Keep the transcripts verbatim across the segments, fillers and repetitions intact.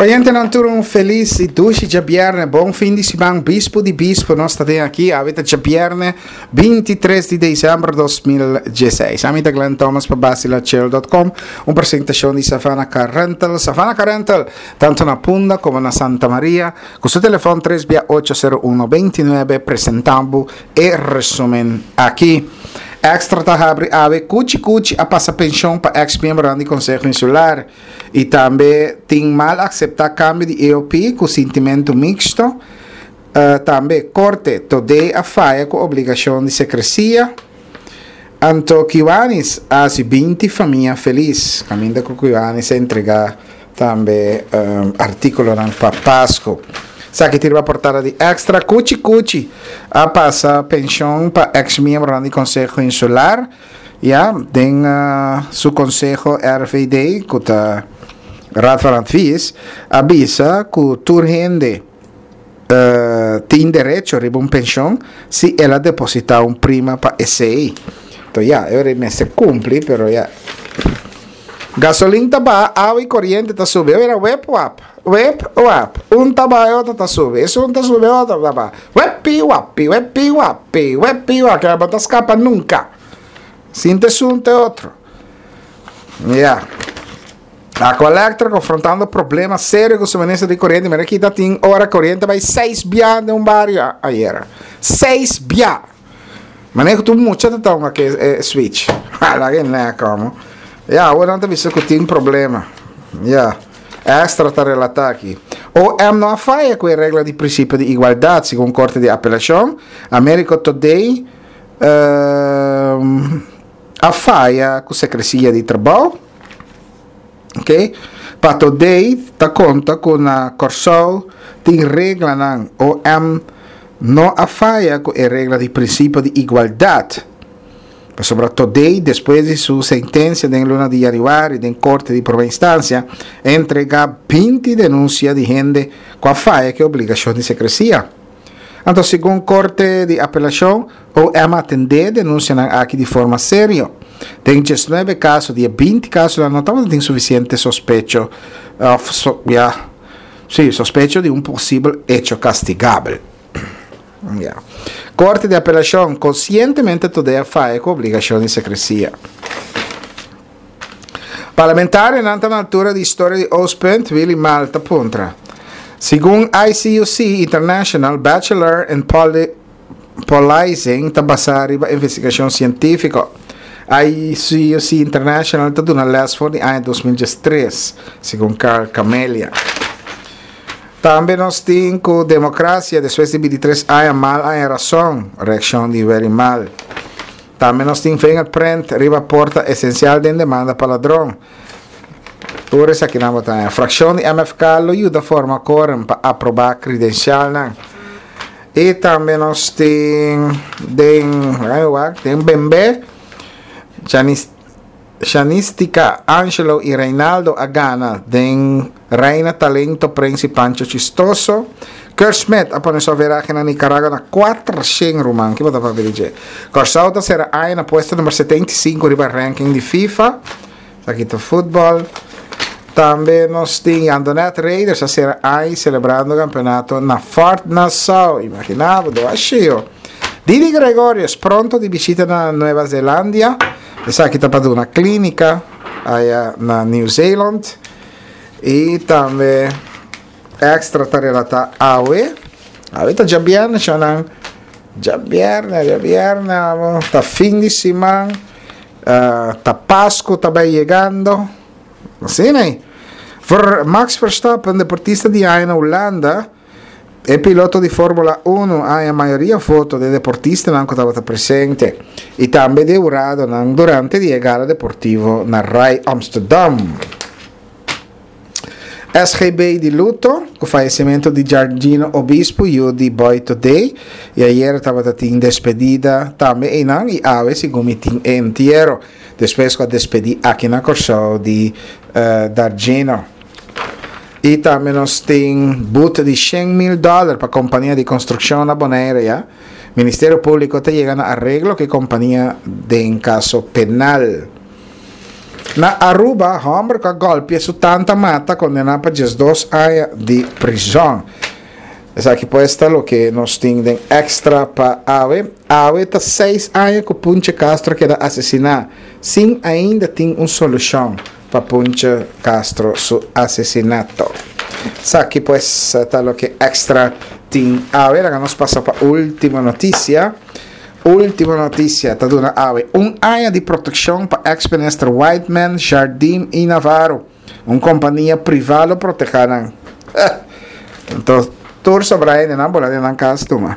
Oyentenan, tur un felis i dushi djabièrnè, bon fin di siman, bispo di bispo, nos ta aki, awe ta djabièrnè, bintitres di desèmber di dos mil diesseis. Ami ta Glenn Thomas pa Basilachel punto com, un presentashon di Savannah Car Rental, Savannah Car Rental, tantu na Punda komo na Santa Maria, ku su telefòn tres ocho sero un dos nuebe, presentando e resúmen aki. Extra ta habri awe: Kuchi Kuchi a pasa penshon pa ex-miembro di Konseho Insular i tambe tin mal aseptá kambio di E O P ku sentimentu miksto. Uh, tambe korte Thodé a faya ku obligashon di sekresia. Anto Kiwanis hasi binti famia felis. Kaminda ku Kiwanis a entregá tambe um, artíkulonan pa Pasku. Esaki ta riba portada di Extra. Kuchi Kuchi a pasa penshon pa ex-miembro di Konseho Insular. Ja, den uh, su konseho R V D, ku ta Raad van Advies, a bisa ku tur hende uh, tin derecho riba un penshon si el a depositá un prima pa esei. Anto, ja, e mester kumpli, pero ja. Gasolin ta baha, awa i koriente ta subi. Mira, wep wap, wep wap. Un ta baha, otro ta subi. Un ta subi, otro ta baha. Wepi wapi, wepi wapi, wepi wapi. No ta skapa nunka. Sinti un te otro. Ja. Aqualectra konfrontando problema serio ku suministro di koriente. Mira, aki tin ora koriente bai seis bia den un bario ayera. Seis bia. Manejo tu mucha ta toma ku eh, switch. Ala ku ne komo. Ja, awor nan ta bisa ku tin problema. Ja. Extra ta relatá aki. O M no a faya ku e regla di prinsipio di igualdat, segun Korte di Apelashon. Americo Thodé um, a faya ku sekresia di trabou. Ok? Pa Thodé ta konta ku na Kòrsou tin reglanan. O M no a faya ku e regla di prinsipio di igualdat. Pasobra Thodé, despues di su sentensia den luna di yanüari, den korte di promé instansia, a entregá binti denunsia di hende ku a faya ku obligashon di sekresia. Anto, segun korte di apelashon, O M a atendé denunsianan aki di forma serio. Den diesnuebe kaso, di binti kaso, no tabatin sufisiente sospecho, of, so, ja, sí, sospecho di un posibel echo kastigabel. Ja. Korte di apelashon, konsientemente Thodé a faya ku obligashon di sekresia. Parlamentarionan ta na altura di historia di Oostpunt, Willy Malta puntra. Segun I C U C International, Bachelor in Poli Policing ta basá riba investigashon sientífiko. I C U C International ta duna les for di aña dos mil diestres, segun Carl Camelia. Tambe nos tin ku demokrasia, despues di bintitres aña, mal a rason, reakshon di very mal. Tambe nos tin fingerprint riba porta esensial den demanda pa ladron. Tur esaki na botanya. Frakshon di M F K lo yuda forma quórum pa aprobá kredensialnan. I tambe nos tin den, ai, wak, den Bembe, Janis, Janistica, Angelo i Reinaldo a gana den Reina Talento Prince Pancho Chistoso. Kurt Smith a pone su averahe na Nicaragua na kuatershen, ruman, ku bo ta pa dirigí. Kòrsou ta sera aña na puesto number setenta i sinku riba ranking di FIFA. Aki ta futbòl. Tambe nos tin Antoinette Raiders a sera aña selebrando kampeonato na Fort Nassau. Imaginá bo, ashio. Didi Gregorius pronto di bishita na Nueva Zelandia. Esaki ta pa una klínika aya na New Zealand. I tambe Extra ta relatá awe. Awe ta djabièrnè, shanan. Djabièrnè, djabièrnè, ta fin di siman. Uh, ta Pasku tambe yegando. Asina, ne? For Max Verstappen, deportista di aña na Hulanda, e piloto di Fórmula un, a mayoria voto di deportistanan ku tabata presente i tambe di huradonan durante e gala deportivo na RAI Amsterdam. S G B di luto, ku fayesimentu di Giardino Obispo i di Boy Thodé, i ayera tabatin despedida tambe einan i awe segun mi tin entiero. Despues ku a despedí aki na Kòrsou di uh, Dargino. I tambe nos tin but di shen mil dòler pa kompania di konstrukshon na Bonaire, ya. Ministerio Públiko ta yega na areglo ku kompania den kaso penal. Na Aruba, hòmber ku a gòlpia su tanta mata, kondená pa diesdos aña di prizòn. Esaki pues ta loke nos tin den Extra pa awe. Awe ta seis aña ku Punche Castro keda asesiná, sin ainda tin un solushon pa Punche Castro su asesinato. Esaki pues ta loke Extra tin awe. Laga nos pasa pa Ultimo Notisia. Ultimo Notisia ta duna awe un aña di protekshon pa eks minister Whiteman, Jardim i Navarro. Un kompania privá lo protehá nan. Anto tur sobra hendenan bola den nan kas tuma.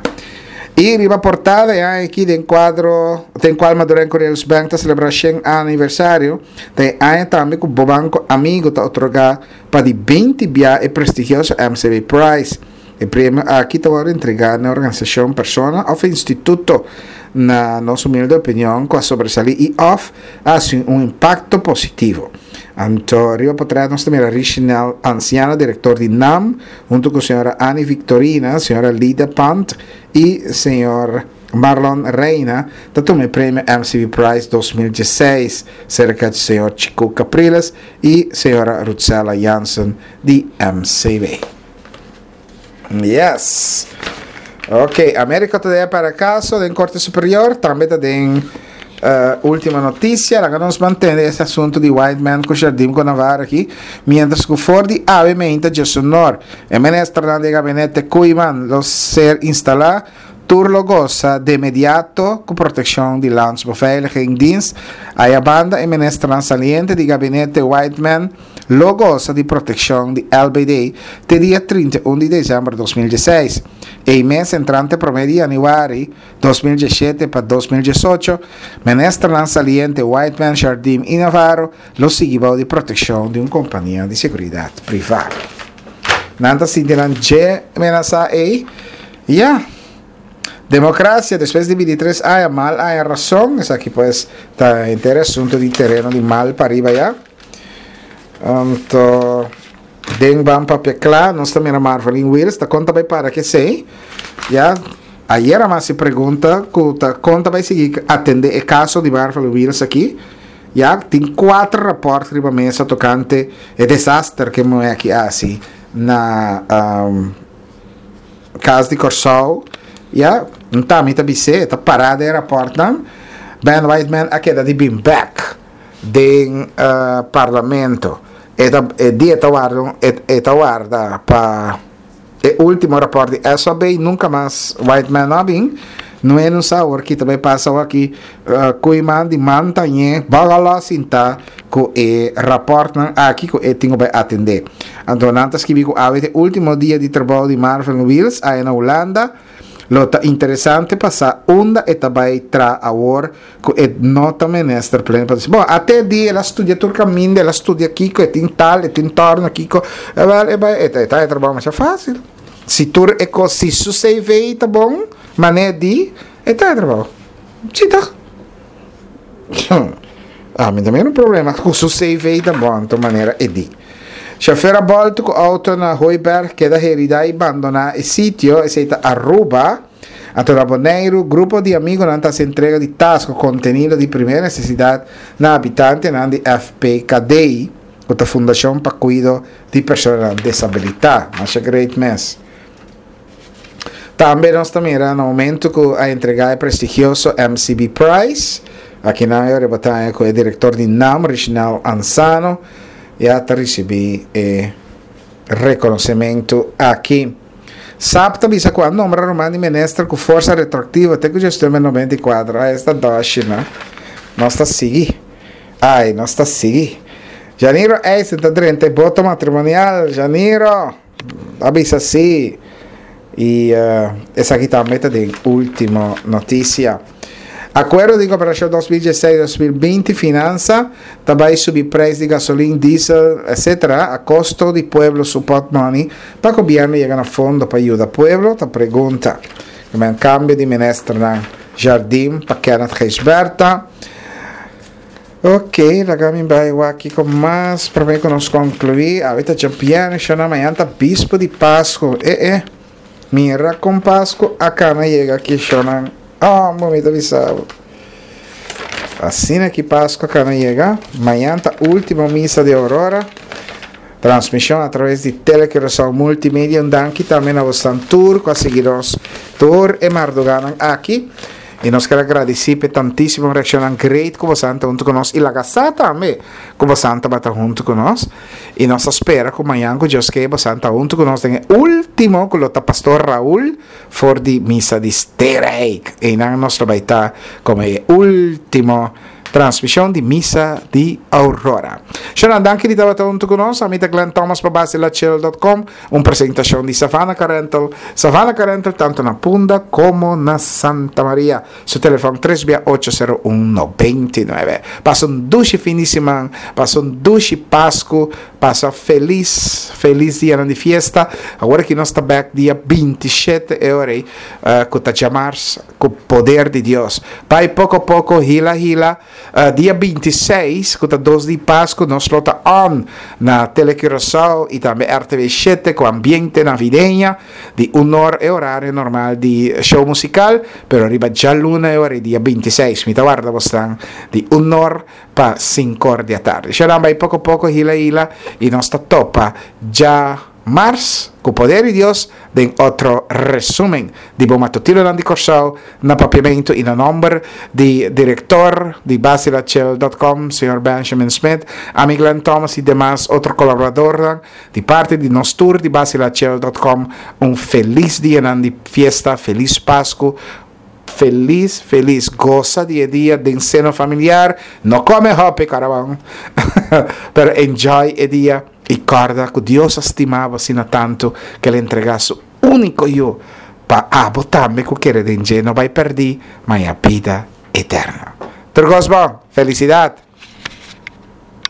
I riba portada e aña aki den kuadro den kual Maduren Correos Bank ta selebrá shen aniversario, ta e aña tambe ku bo banko amigo ta otorgá pa di binti bia e prestigioso M C B Prize. E premio aki ta wòrdu entregá na organisashon, persona òf instituto, na nos humilde opinion, ku a sobresalí i òf a hasi un impakto positivo. Anto riba potrèt nos ta mira Richinel Anciano, direktor di NAM, huntu ku señora Annie Victorina, señora Lida Pant i señor Marlon Reina ta tuma e premio M C B Prize dos mil diesseis serka di señor Chico Capriles i señora Rutsela Jansen di M C B. Yes. Ok, América Today para caso den Corte Superior, tambe ta den uh, Ultimo Notisia. Laga nos mantené e asuntu di Whiteman ku Jardim ku Navarro aki, mientras ku for di awe mainta diesun or, e minister di gabinete Koeiman lo ser instalá, tur lo gosa de inmediato ku protekshon di Landsbeveiligingsdienst. Aya banda e minister saliente di gabinete Whiteman lo gosa di protekshon di L B D te dia trinta i un di desèmber di dos mil diesseis. E mes entrante promé di yanüari dos mil diesshete pa dos mil diesocho, minister saliente Whiteman, Jardim i Navarro lo sigui di protekshon di un kompania di seguridat privá. Nan ta sinti nan dje menasá ei. Ja. Demokrasia, despues di bintitres aña, mal a rason. Esaki pues ta henter asuntu di tereno di mal pariba ya. Anto, den Ban Papia Kla, nos tambe Marvelin Wills, ta konta bai para ke sei. Ya, ayera mas se pregunta ku ta konta bai sigui atendé e kaso di Marvelin Wills aki. Ya, tin kuater rapòrt riba mesa tokante e desaster ku e aki hasi na um, Kas di Kòrsou. Ya, anto mi ta bis'é, ta pará e rapòrtnan. Ben Whiteman a keda di bin back den uh, parlamento. E ta e dia ta warda e ta warda pa e último rapòrt di S O B, nunka mas Whiteman a bin. No e no sa awor ki tambe pasa aki uh, Koeiman di mantañe bagala sinta ku e rapòrtnan aki ku e tin ku bai atendé. Anto nan ta skibi ku awe e último dia di trabou di Marvin Wills ei na Hulanda. Lo ta interesante pa sa unda e ta bai traha awor ku e no ta minister plenipotensiario. Bon, te dia el a studia tur kaminda, el a studia kiko, e tin tal, e tin torno kiko. E wel, e bai, e ta e trabou mas fásil. Si tur e kos, si su C V ta bon, mané di, e ta trabou. Si ta. Ah, mi tambe un problema ku su C V ta bon, to manera e di. Chauffeur a bòltu ku outo na Hooiberg, keda heridá i bandoná e sitio, esei ta Aruba. Anto na Boneiru, grupo di amigunan ta entrega di tas ku kontenido di primera nesesidat na habitantenan di F P K D, ku ta Fundashon pa Kuido di Persona Desabilitá. Masha great mes. Tambe nos tambe na momento ku a entregá e prestigioso M C B Prize. Aki na e ku e direktor di NAM, Reginald Ansano, ya ta risibí e rekonosementu aki. S A P ta bisa ku a nombra ruman di minister ku forsa retroaktivo, te ku gestión nobenta i kuater. Ai, esta doshi, no? Nos ta sigui. Ai, nos ta sigui. Janiro Eisen ta drenta boto matrimonial. Janiro, a bisa si. I uh, esaki tambe ta di Ultimo Notisia. Akuerdo di Koperashon dos mil diesseis-dos mil binti, Finansa tambe subi preis di gasolin, diesel, et cetera a kosto di pueblo su portmoni pa gobièrnu yega na fondo pa yuda pueblo, ta pregunta. Un kambio di minister na Jardim pa Kenneth Gisberta. Ok, laga mi bai aki ku mas pa ku nos konkluí. Awor djabièrnè, shona, mañan ta bispo di Pasku. Eh, eh. Mira kon Pasku a kana yega aki, shona. Ah, oh, momento avisado. Asina ku Pasku a yega. Mañan ta último misa di Aurora. Transmishon a traves di Telecuraçao Multimedia. Un danki tambe na boso tur ku a sigui nos tur e mardugánan aki. I nos ke gradisí tantísimo reakshon great ku boso ta huntu ku nos i laga sa tambe ku boso ta huntu ku nos. I nos ta spera ku mañan ku Dios ke boso ta huntu ku nos den último ku ta Pastor Raul for di misa di Sterijk. I nan nos bai ta komo e último transmishon di misa di Aurora. Shonan, danki di tabata huntu ku nos. Ami ta Glenn Thomas pa Basilachel punto com, un presentashon di Savannah Car Rental. Savannah Car Rental tantu na Punda komo na Santa Maria. Su telefòn tres ocho sero un nove nuebe. Pasa un dushi fin di siman, pasa un dushi Pasku, pasa felis, felis dia di fiesta. Awor ku nos ta back dia bintisshete e ora, uh, ku ta djamars, ku poder di Dios. Bai poko poko, hila hila, uh, dia bintiseis, ku ta dos di Pasku, nos lo ta on na Telecuraçao i tambe R T V shete ku ambiente navideño, di un or e orario normal di show musikal, pero riba djaluna e ora dia bintiseis, mi ta warda boso di un or pa sinku or di atardi. Shonan, bai poko poko, hila hila, i nos ta topa djamars, ku poder di Dios, den otro resúmen di bo matutino di Kòrsou na papiamentu i na nòmber di direktor di basilachel punto com, señor Benjamin Smith, ami Glenn Thomas i demas otro kolaboradó, di parti di nos tur di basilachel punto com, un felis dia di fiesta, felis Pasku, felis, felis, gosa di dia di seno familiar, no kome hopi, karaban, pero enjoy e dia i kòrda ku Dios a stima bo asina tantu ku el a entregá su úniko yu pa abo tambe ku kere den dje no bai pèrdí, ma bida eterno. Tur bon, felisidat.